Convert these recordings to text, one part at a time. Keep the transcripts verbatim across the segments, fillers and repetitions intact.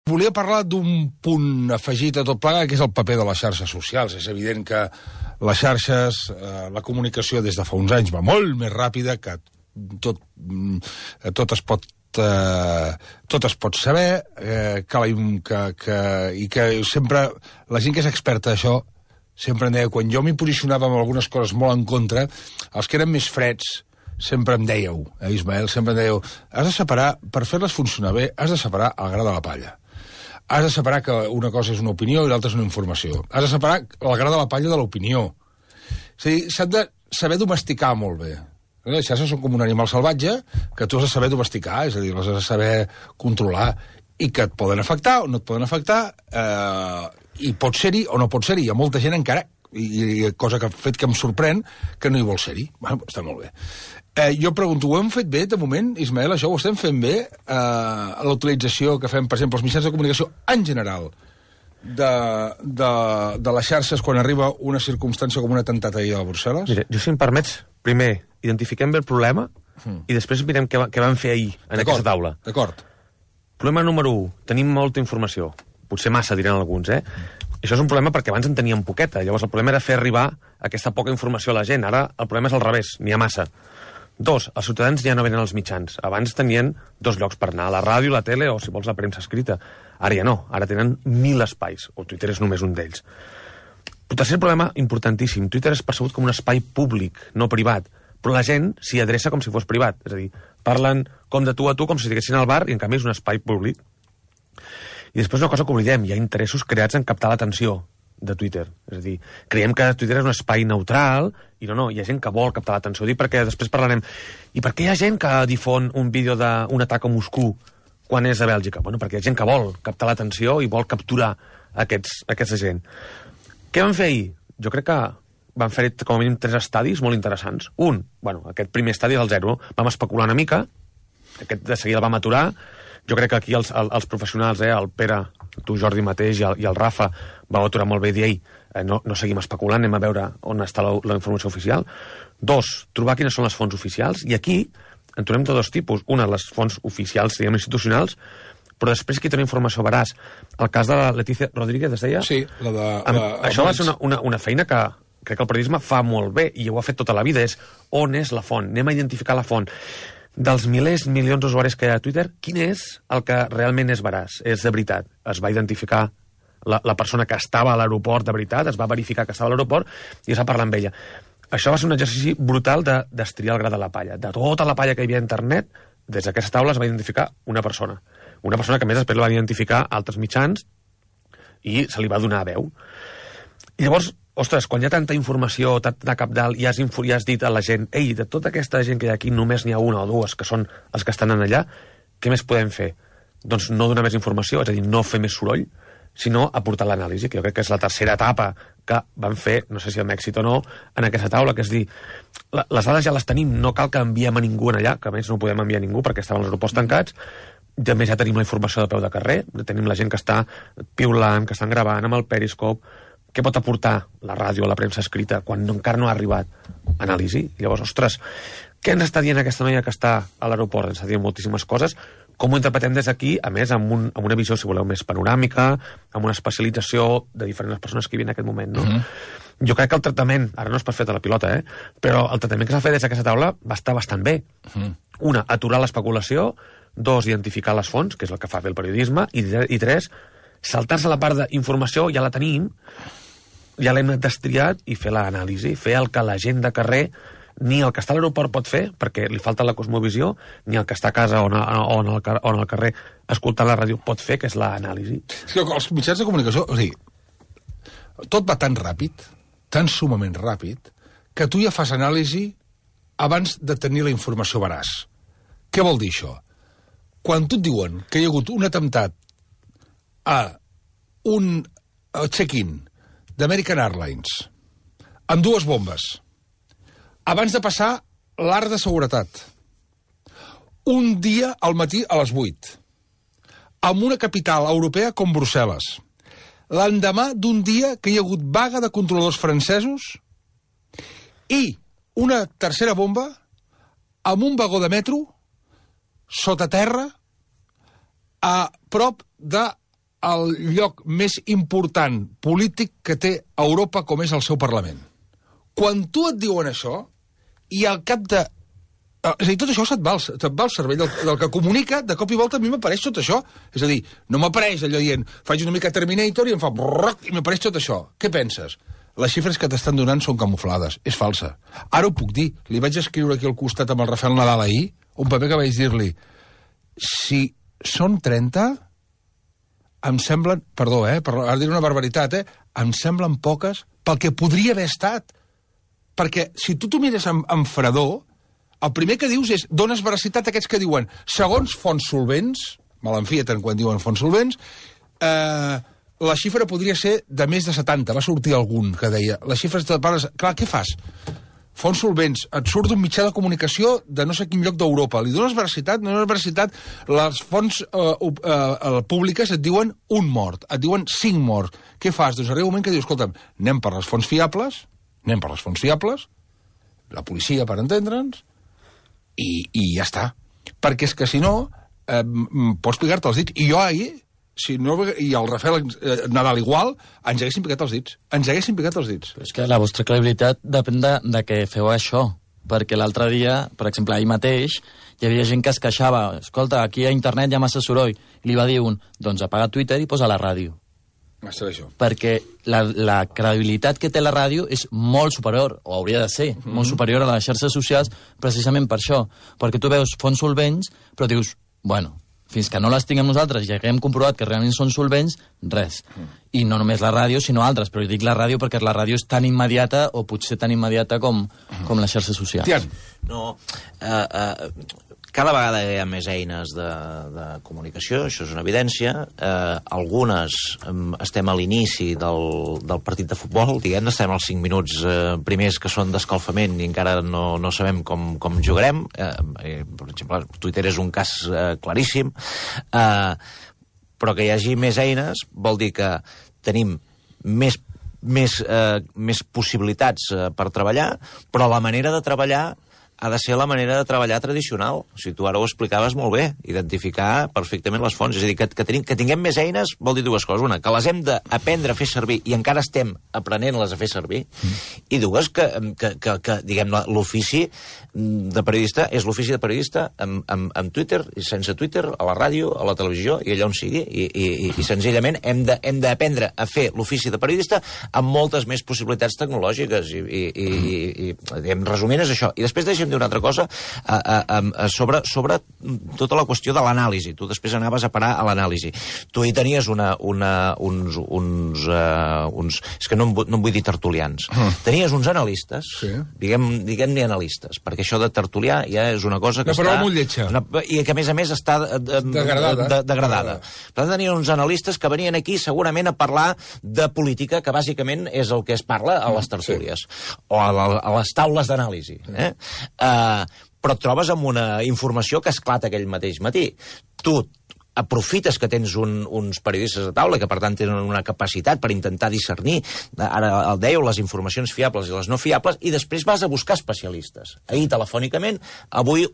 volia parlar d'un punt afegit a tot plegat, que és el paper de les xarxes socials. És evident que les xarxes, eh, la comunicació des de fa uns anys va molt més ràpida, que tot, tot es pot eh, tot es pot saber, eh, que, que, que, i que sempre la gent que és experta d'això sempre em deia, quan jo m'hi posicionava amb algunes coses molt en contra, els que eren més freds sempre em dèieu, eh, Ismael, sempre em dèieu, has de separar, per fer-les funcionar bé, has de separar el gra de la palla. Has de separar que una cosa és una opinió i l'altra és una informació. Has de separar el gra de la palla de l'opinió. És a dir, s'han de saber domesticar molt bé. Les xarxes són com un animal salvatge que tu has de saber domesticar, és a dir, les has de saber controlar, i que et poden afectar o no et poden afectar, eh, i pot ser-hi o no pot ser-hi. Hi ha molta gent encara, i, i cosa que ha fet que em sorprèn, que no hi vol ser-hi. Bueno, està molt bé. Eh, jo pregunto, ho hem fet bé, de moment, Ismael, això ho estem fent bé, eh, la utilització que fem, per exemple, els mitjans de comunicació en general, de, de, de les xarxes quan arriba una circumstància com un atemptat ahir a Brussel·les? Mira, jo, si em permets, primer identifiquem bé el problema mm. i després mirem què, què van fer ahir en aquesta taula. D'acord. Problema número u, tenim molta informació. Potser massa, diran alguns, eh? Mm. Això és un problema perquè abans en teníem poqueta. Llavors el problema era fer arribar aquesta poca informació a la gent. Ara el problema és al revés, n'hi ha massa. Dos, els ciutadans ja no venen als mitjans. Abans tenien dos llocs per anar, la ràdio, la tele o, si vols, la premsa escrita. Ara ja no, ara tenen mil espais, o Twitter és només un d'ells. Però tercer problema importantíssim, Twitter és percebut com un espai públic, no privat, però la gent s'hi adreça com si fos privat. És a dir, parlen com de tu a tu, com si estiguessin al bar, i en canvi és un espai públic. I després una cosa que oblidem, hi ha interessos creats en captar l'atenció de Twitter. És a dir, creiem que Twitter és un espai neutral, i no, no, hi ha gent que vol captar l'atenció. Dic perquè després parlarem, i per què hi ha gent que difon un vídeo d'un atac a Moscou quan és a Bèlgica? Bueno, perquè hi ha gent que vol captar l'atenció i vol capturar aquests, aquesta gent. Què van fer ahir? Jo crec que van fer com a mínim tres estadis molt interessants. Un, bueno, aquest primer estadi del zero, vam especular una mica, aquest de seguida el vam aturar. Jo crec que aquí els, els professionals, eh, el Pere, tu Jordi mateix i el, i el Rafa, vau aturar molt bé i dir, ei, eh, no, no seguim especulant, anem a veure on està la, la informació oficial. Dos, trobar quines són les fonts oficials, i aquí en trobem de dos tipus. Una, les fonts oficials, diguem, institucionals, però després aquí té una informació veraç. El cas de la Letícia Rodríguez, es deia? Sí, la de... Amb, la, això va ser una, una, una feina que crec que el periodisme fa molt bé, i ho ha fet tota la vida, és on és la font, anem a identificar la font. Dels milers, milions d'usuaris que hi ha a Twitter, quin és el que realment és veraç, és de veritat? Es va identificar la, la persona que estava a l'aeroport de veritat, es va verificar que estava a l'aeroport i es va parlar amb ella. Això va ser un exercici brutal de destriar el gra de la palla. De tota la palla que hi havia a internet, des d'aquesta taula es va identificar una persona. Una persona que, a més, després la van identificar altres mitjans i se li va donar veu. I llavors, ostres, quan hi ha tanta informació, tant de cabdal, i has, i has dit a la gent, ei, de tota aquesta gent que hi ha aquí, només n'hi ha una o dues que són els que estan allà, què més podem fer? Doncs no donar més informació, és a dir, no fer més soroll, sinó aportar l'anàlisi, que jo crec que és la tercera etapa que van fer, no sé si amb èxit o no, en aquesta taula, que és dir, la, les dades ja les tenim, no cal que enviem a ningú allà, que a més no podem enviar a ningú perquè estaven els aeroports tancats, i a més ja tenim la informació de peu de carrer, tenim la gent que està piulant, que estan gravant amb el Periscope. Què pot aportar la ràdio o la premsa escrita quan no, encara no ha arribat? Anàlisi. Llavors, ostres, què ens està dient aquesta noia que està a l'aeroport? Ens està dient moltíssimes coses. Com ho interpretem des d'aquí? A més, amb, un, amb una visió, si voleu, més panoràmica, amb una especialització de diferents persones que hi havia en aquest moment, no? Mm-hmm. Jo crec que el tractament, ara no és per fer de la pilota, eh? Però el tractament que s'ha fet des d'aquesta taula va estar bastant bé. Mm-hmm. Una, aturar l'especulació. Dos, identificar les fonts, que és el que fa bé el periodisme. I, i tres, saltar-se la part d'informació, ja la tenim, ja l'hem destriat, i fer l'anàlisi, fer el que la gent de carrer, ni el que està a l'aeroport pot fer, perquè li falta la cosmovisió, ni el que està a casa o en, o en, el, o en el carrer escoltant la ràdio pot fer, que és l'anàlisi. És que els mitjans de comunicació, o sigui, tot va tan ràpid, tan sumament ràpid, que tu ja fas anàlisi abans de tenir la informació veraç. Què vol dir això? Quan tu et diuen que hi ha hagut un atemptat a un check-in d'American Airlines amb dues bombes abans de passar l'art de seguretat un dia al matí a les vuit amb una capital europea com Brussel·les, l'endemà d'un dia que hi ha hagut vaga de controladors francesos i una tercera bomba amb un vagó de metro sota terra a prop de el lloc més important polític que té Europa, com és el seu Parlament. Quan tu et diuen això, i al cap de... És a dir, tot això se't va, se't va al cervell del, del que comunica, de cop i volta a mi m'apareix tot això. És a dir, no m'apareix allò dient, faig una mica Terminator i em fa brrrc, i m'apareix tot això. Què penses? Les xifres que t'estan donant són camuflades. És falsa. Ara ho puc dir. Li vaig escriure aquí al costat amb el Rafael Nadal ahir, un paper que vaig dir-li, si són trenta, em semblen, perdó, eh, per ara dir una barbaritat, eh, em semblen poques pel que podria haver estat. Perquè si tu t'ho mires amb, amb fredor, el primer que dius és, dones veracitat a aquests que diuen, segons fonts solvents, me l'enfieten quan diuen fonts solvents, eh, la xifra podria ser de més de setanta. Va sortir algun que deia, les xifres de pares... Clar, què fas? Fonts solvents, et surt d'un mitjà de comunicació de no sé quin lloc d'Europa. Li dones veracitat, no dones veracitat, les fonts eh, eh, públiques et diuen un mort, et diuen cinc morts. Què fas? Doncs arriba un moment que dius, escolta'm, anem per les fonts fiables, anem per les fonts fiables, la policia, per entendre'ns, i, i ja està. Perquè és que, si no, eh, pots picar-te els dits. I jo ahir, si no, i el Rafael eh, Nadal igual, ens haguessin picat els dits. Ens haguessin picat els dits. Però és que la vostra credibilitat depèn de, de que feu això. Perquè l'altre dia, per exemple, ahir mateix, hi havia gent que es queixava, escolta, aquí a internet hi ha massa soroll. I li va dir un, doncs apaga Twitter i posa la ràdio. Això. Perquè la, la credibilitat que té la ràdio és molt superior, o hauria de ser, mm-hmm. molt superior a les xarxes socials, precisament per això. Perquè tu veus fonts solvents, però dius, bueno, fins que no les tinguem nosaltres i haguem comprovat que realment són solvents, res. Mm. I no només la ràdio, sinó altres. Però dic la ràdio perquè la ràdio és tan immediata, o potser tan immediata com, mm. com les xarxes socials. Tian. No, uh, uh, cada vegada hi ha més eines de, de comunicació, això és una evidència. Eh, algunes eh, estem a l'inici del, del partit de futbol, diguem, estem als cinc minuts eh, primers que són d'escalfament i encara no, no sabem com, com jugarem. Eh, eh, per exemple, Twitter és un cas eh, claríssim. Eh, però que hi hagi més eines vol dir que tenim més, més, eh, més possibilitats eh, per treballar, però la manera de treballar ha de ser la manera de treballar tradicional. O sigui, tu ara ho explicaves molt bé, identificar perfectament les fonts. És a dir, que, que, tenim, que tinguem més eines vol dir dues coses. Una, que les hem d'aprendre a fer servir i encara estem aprenent-les a fer servir. Mm. I dues, que, que, que, que diguem, l'ofici de periodista és l'ofici de periodista amb, amb, amb Twitter, i sense Twitter, a la ràdio, a la televisió i allà on sigui. I, i, i, i senzillament hem d'aprendre a fer l'ofici de periodista amb moltes més possibilitats tecnològiques. I, i, i, i, i diguem, resumint és això. I després deixem d'una altra cosa a, a, a, sobre, sobre tota la qüestió de l'anàlisi. Tu després anaves a parar a l'anàlisi. Tu hi tenies una, una, uns... uns, uh, uns és que no em, no em vull dir tertulians. Mm. Tenies uns analistes, sí. diguem-ne diguem analistes, perquè això de tertulià ja és una cosa que una està... molt lletja. Una, I que, a més a més, està de, de, degradada. De, degradada. Per tant, tenien uns analistes que venien aquí segurament a parlar de política, que bàsicament és el que es parla a les tertúlies, sí. o a, la, a les taules d'anàlisi. Eh? Uh, però et trobes amb una informació que esclata aquell mateix matí. Tu aprofites que tens un, uns periodistes a taula que, per tant, tenen una capacitat per intentar discernir, ara el dèieu, les informacions fiables i les no fiables, i després vas a buscar especialistes. Ahir, telefònicament, avui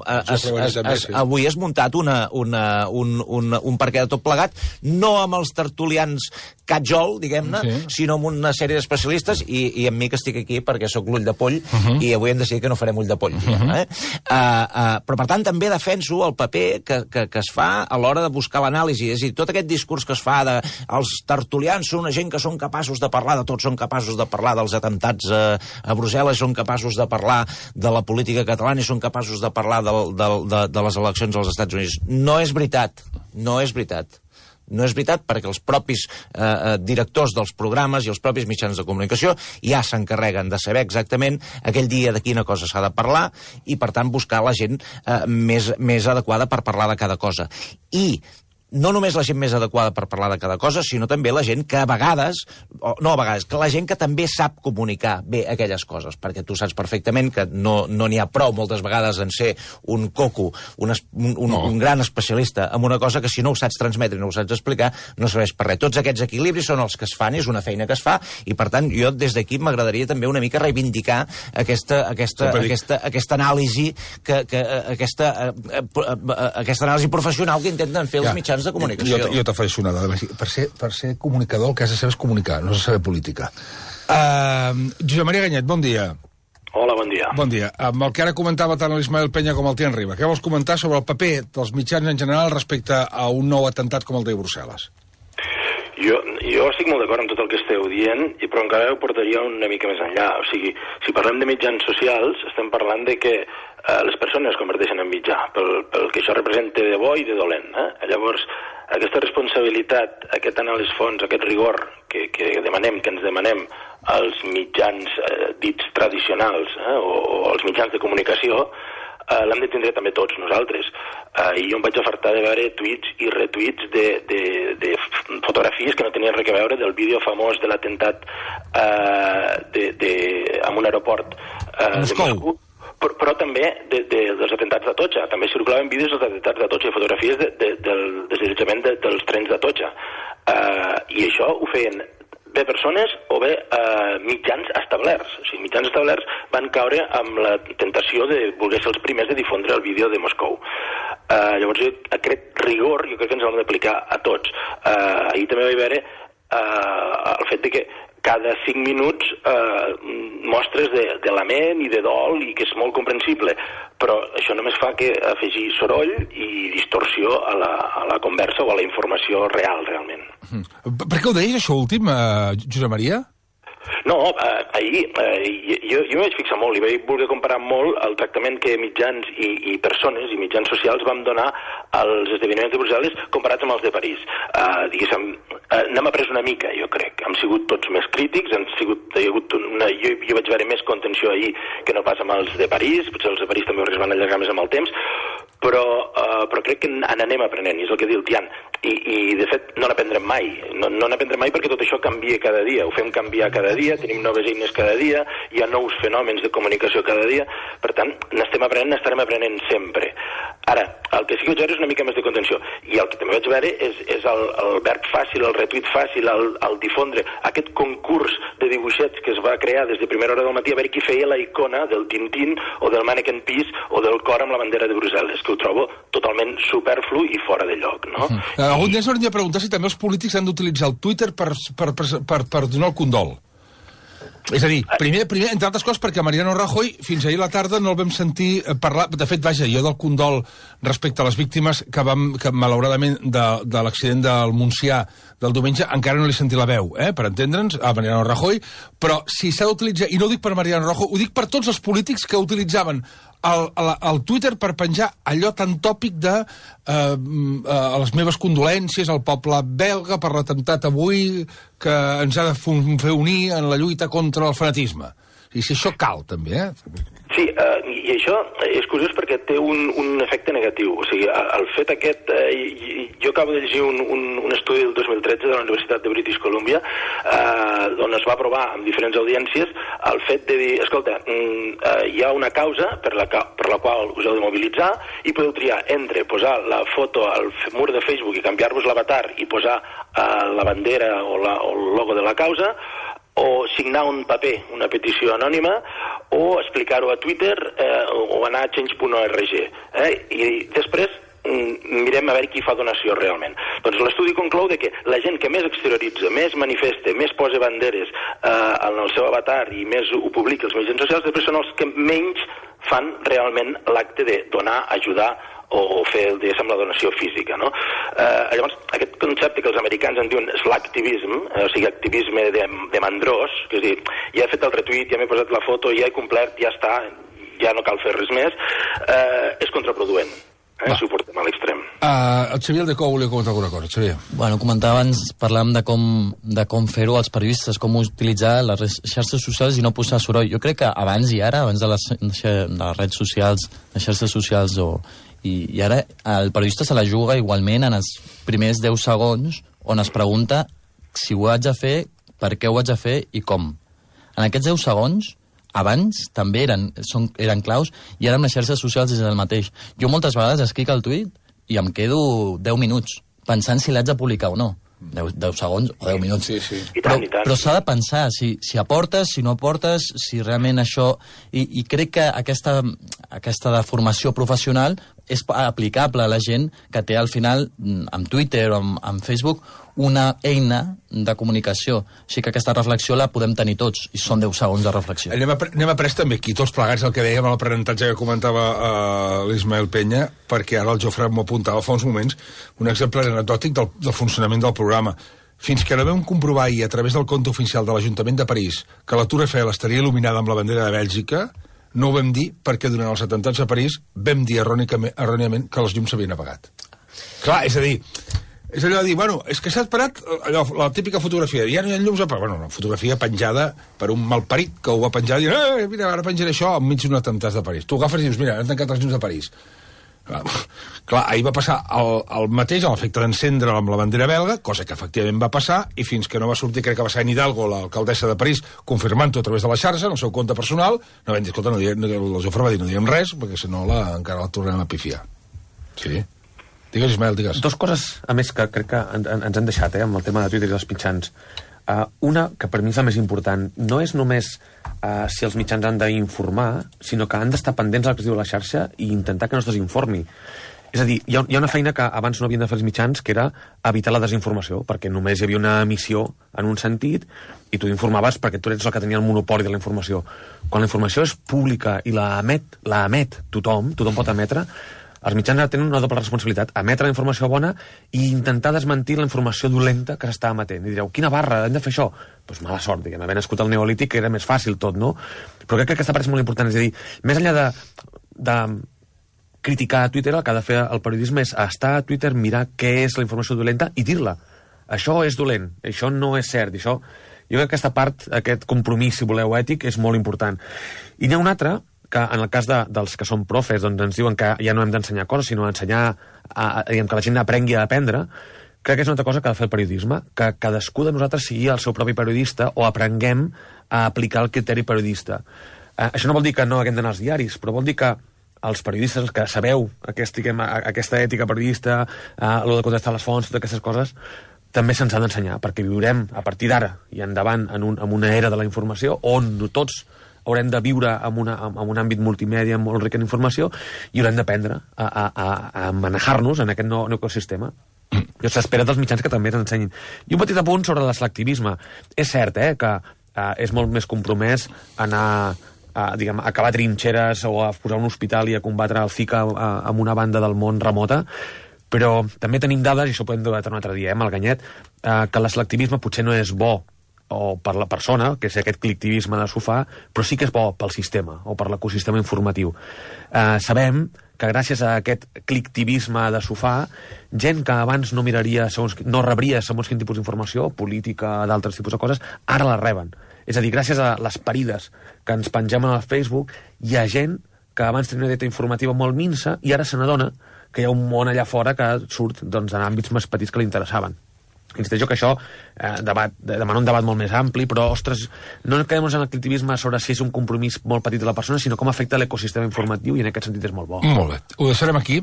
has, has, has, avui has muntat una, una, un, un, un parquet de tot plegat, no amb els tertulians catjol, diguem-ne, sí. sinó amb una sèrie d'especialistes, i, i amb mi que estic aquí perquè sóc l'ull de poll, uh -huh. i avui hem decidit que no farem ull de poll. Uh -huh. eh? uh, uh, però, per tant, també defenso el paper que, que, que es fa a l'hora de buscar l'anàlisi. És a dir, tot aquest discurs que es fa de els tertulians són una gent que són capaços de parlar de tot, són capaços de parlar dels atemptats a, a Brussel·les, són capaços de parlar de la política catalana i són capaços de parlar de, de, de, de les eleccions als Estats Units. No és veritat. No és veritat. No és veritat, perquè els propis eh, directors dels programes i els propis mitjans de comunicació ja s'encarreguen de saber exactament aquell dia de quina cosa s'ha de parlar i, per tant, buscar la gent eh, més, més adequada per parlar de cada cosa. I no només la gent més adequada per parlar de cada cosa, sinó també la gent que a vegades, o no a vegades, que la gent que també sap comunicar bé aquelles coses, perquè tu saps perfectament que no n'hi no ha prou moltes vegades en ser un coco, un, un, un, no. un gran especialista en una cosa que si no ho saps transmetre i no ho saps explicar, no serveix per res. Tots aquests equilibris són els que es fan, és una feina que es fa, i per tant jo des d'aquí m'agradaria també una mica reivindicar aquesta, aquesta, aquesta, aquesta anàlisi, que, que, aquesta, aquesta anàlisi professional que intenten fer ja. els mitjans mitjans de comunicació. Jo, jo t'afegeixo una dada. Per ser, per ser comunicador el que has de saber és comunicar, no has de saber política. Uh, Josep Maria Ganyet, bon dia. Hola, bon dia. Bon dia. Amb el que ara comentava tant l'Ismael Penya com el Tian Riba, què vols comentar sobre el paper dels mitjans en general respecte a un nou atemptat com el de Brussel·les? Jo, jo estic molt d'acord amb tot el que esteu dient, però encara ho portaria una mica més enllà. O sigui, si parlem de mitjans socials, estem parlant de que eh, les persones es converteixen en mitjà, pel, pel que això representa de bo i de dolent. Eh? Llavors, aquesta responsabilitat, aquest anar a les fonts, aquest rigor que, que demanem, que ens demanem als mitjans eh, dits tradicionals eh, o, o als mitjans de comunicació, eh, l'hem de tindre també tots nosaltres. Eh, I jo em vaig afartar de veure tuits i retuits de, de, de fotografies que no tenien res a veure del vídeo famós de l'atemptat eh, de, de, en un aeroport eh, de Moscou. Però, però també de, de, dels atemptats d'Atocha. També circulaven vídeos dels atemptats d'Atocha i fotografies de, de, del desallotjament de, dels trens d'Atocha. Uh, I això ho feien bé persones o bé uh, mitjans establerts. O sigui, mitjans establerts van caure amb la tentació de voler ser els primers de difondre el vídeo de Moscou. Uh, llavors, jo, aquest rigor jo crec que ens l'hem d'aplicar a tots. Uh, ahir també vaig veure uh, el fet de que cada cinc minuts eh, mostres de, de lament i de dol i que és molt comprensible, però això només fa que afegir soroll i distorsió a la, a la conversa o a la informació real, realment. Per què ho deies, això últim, eh, Josep Maria? No, eh, ahir eh, jo, jo m'hi vaig fixar molt i vaig voler comparar molt el tractament que mitjans i, i persones i mitjans socials vam donar als esdeveniments de Brussel·les comparats amb els de París. Eh, diguéssim, eh, n'hem après una mica, jo crec. Hem sigut tots més crítics, han sigut, hi ha hagut una, jo, jo vaig veure més contenció ahir que no pas amb els de París, potser els de París també es van allargar més amb el temps, però, uh, però crec que n'anem aprenent, i és el que diu el Tian. I, i de fet, no n'aprendrem mai. No, no n'aprendrem mai perquè tot això canvia cada dia. Ho fem canviar cada dia, tenim noves eines cada dia, hi ha nous fenòmens de comunicació cada dia. Per tant, n'estem aprenent, n'estarem aprenent sempre. Ara, el que sí que vaig veure és una mica més de contenció. I el que també vaig veure és, és el, el verb fàcil, el retuit fàcil, el, el difondre, aquest concurs de dibuixets que es va crear des de primera hora del matí a veure qui feia la icona del Tintín o del Mannequin Peace o del cor amb la bandera de Brussel·les, que ho trobo totalment superflu i fora de lloc, no? Uh -huh. Algun dia s'hauria de preguntar si també els polítics han d'utilitzar el Twitter per, per, per, per, per donar el condol. És a dir, primer, primer, entre altres coses, perquè Mariano Rajoy fins ahir a la tarda no el vam sentir parlar. De fet, vaja, jo del condol respecte a les víctimes que vam, que malauradament de, de l'accident del Montsià del diumenge encara no li sentí la veu, eh, per entendre'ns, a Mariano Rajoy, però si s'ha d'utilitzar, i no ho dic per Mariano Rajoy, ho dic per tots els polítics que utilitzaven el, el, el Twitter per penjar allò tan tòpic de eh, eh, les meves condolències al poble belga per l'atemptat avui que ens ha de fer unir en la lluita contra el fanatisme. I si això cal, també, eh? Sí, eh, i això és curiós perquè té un, un efecte negatiu. O sigui, el fet aquest... Eh, jo acabo de llegir un, un, un estudi del dos mil tretze de la Universitat de British Columbia eh, on es va provar amb diferents audiències el fet de dir, escolta, eh, hi ha una causa per la, per la qual us heu de mobilitzar i podeu triar entre posar la foto al mur de Facebook i canviar-vos l'avatar i posar eh, la bandera o, la, o el logo de la causa, o signar un paper, una petició anònima, o explicar-ho a Twitter eh, o anar a change punt org. Eh? I després mm, mirem a veure qui fa donació realment. Doncs l'estudi conclou de que la gent que més exterioritza, més manifesta, més posa banderes eh, en el seu avatar i més ho publica als mitjans socials, després són els que menys fan realment l'acte de donar, ajudar o fer, diguéssim, la donació física, no? Eh, llavors, aquest concepte que els americans en diuen slacktivism, eh, o sigui, activisme de, de mandrós, que és dir, ja he fet el retuit, ja m'he posat la foto, ja he complert, ja està, ja no cal fer res més, eh, és contraproduent. Eh, si ho portem a l'extrem. Uh, el Xavier de Cou volia comentar alguna cosa, Xavier. Bueno, comentava abans, parlàvem de com, de com fer-ho als periodistes, com utilitzar les xarxes socials i no posar soroll. Jo crec que abans i ara, abans de les, de les redes socials, les xarxes socials o... I, i ara el periodista se la juga igualment en els primers deu segons on es pregunta si ho haig de fer, per què ho haig de fer i com. En aquests deu segons, abans també eren, són, eren claus i ara amb les xarxes socials és el mateix. Jo moltes vegades escric el tuit i em quedo deu minuts pensant si l'haig de publicar o no. deu segons o deu minuts. Sí, sí. Però, però s'ha de pensar si, si aportes, si no aportes, si realment això... I, i crec que aquesta, aquesta deformació professional és aplicable a la gent que té al final, amb Twitter o amb, amb Facebook, una eina de comunicació. Així que aquesta reflexió la podem tenir tots, i són deu segons de reflexió. Anem a, anem a pres també aquí, tots plegats, el que dèiem en l'aprenentatge que comentava uh, l'Ismael Penya, perquè ara el Jofre m'ho apuntava fa uns moments, un exemple anecdòtic del, del funcionament del programa. Fins que no vam comprovar ahir, a través del compte oficial de l'Ajuntament de París, que la Tour Eiffel estaria il·luminada amb la bandera de Bèlgica, no ho vam dir perquè durant els atemptats a París vam dir erròniament que els llums s'havien apagat. Clar, és a dir, és allò de dir, bueno, és que s'ha parat allò, la típica fotografia, ja no hi ha llums apagats. Bueno, una fotografia penjada per un malparit que ho va penjar i dir, eh, mira, ara penjaré això enmig d'un atemptat de París. Tu agafes i dius, mira, han tancat els llums de París. Clar, clar, ahir va passar el, el mateix, l'efecte d'encendre amb la bandera belga, cosa que efectivament va passar, i fins que no va sortir, crec que va ser Anne Hidalgo, l'alcaldessa de París, confirmant-ho a través de la xarxa, en el seu compte personal, no vam dir, escolta, no diem, no, el Jofre va dir, no diem res, perquè si no la, encara la tornem a pifiar. Sí. Digues, Ismael, digues. Dos coses, a més, que crec que en, en, ens han deixat, eh, amb el tema de Twitter i dels mitjans. Uh, una, que per mi és la més important, no és només uh, si els mitjans han d'informar, sinó que han d'estar pendents del que es diu a la xarxa i intentar que no es desinformi. És a dir, hi ha, hi ha una feina que abans no havien de fer els mitjans, que era evitar la desinformació, perquè només hi havia una emissió en un sentit i tu informaves perquè tu ets el que tenia el monopoli de la informació. Quan la informació és pública i la emet, la emet tothom, tothom pot emetre, els mitjans ara tenen una doble responsabilitat, emetre la informació bona i intentar desmentir la informació dolenta que s'està emetent. I direu, quina barra, hem de fer això? Doncs pues mala sort, diguem, haver nascut al Neolític, que era més fàcil tot, no? Però crec que aquesta part és molt important, és a dir, més enllà de, de criticar a Twitter, el que ha de fer el periodisme és estar a Twitter, mirar què és la informació dolenta i dir-la. Això és dolent, això no és cert, això... Jo crec que aquesta part, aquest compromís, si voleu, ètic, és molt important. I n'hi ha una altra, que en el cas de, dels que són profes doncs ens diuen que ja no hem d'ensenyar coses, sinó ensenyar a, a, diguem, que la gent aprengui a aprendre, crec que és una altra cosa que ha de fer el periodisme, que cadascú de nosaltres sigui el seu propi periodista o aprenguem a aplicar el criteri periodista. Eh, això no vol dir que no haguem d'anar als diaris, però vol dir que els periodistes que sabeu aquest, diguem, aquesta ètica periodista, eh, el de contestar les fonts, totes aquestes coses, també se'ns ha d'ensenyar, perquè viurem a partir d'ara i endavant en, un, en una era de la informació on tots haurem de viure en, una, en un àmbit multimèdia molt ric en informació i haurem d'aprendre a, a, a, a manejar-nos en aquest nou, nou ecosistema. I s'espera dels mitjans que també ens ensenyin. I un petit apunt sobre el selectivisme. És cert eh, que eh, és molt més compromès anar a, diguem, a acabar trinxeres o a posar un hospital i a combatre el Zika en una banda del món remota, però també tenim dades, i això ho podem debattre un altre dia, eh, amb el Ganyet, eh, que el selectivisme potser no és bo o per la persona, que és aquest clictivisme de sofà, però sí que és bo pel sistema o per l'ecosistema informatiu. Eh, sabem que gràcies a aquest clictivisme de sofà, gent que abans no miraria, segons, no rebria segons quin tipus d'informació, política, d'altres tipus de coses, ara la reben. És a dir, gràcies a les parides que ens pengem al Facebook, hi ha gent que abans tenia una dieta informativa molt minsa i ara se n'adona que hi ha un món allà fora que surt doncs, en àmbits més petits que li interessaven. Insisteixo que això eh, debat, demana un debat molt més ampli, però, ostres, no quedem en el clictivisme sobre si és un compromís molt petit de la persona, sinó com afecta l'ecosistema informatiu, i en aquest sentit és molt bo. Molt bé. Ho deixarem aquí.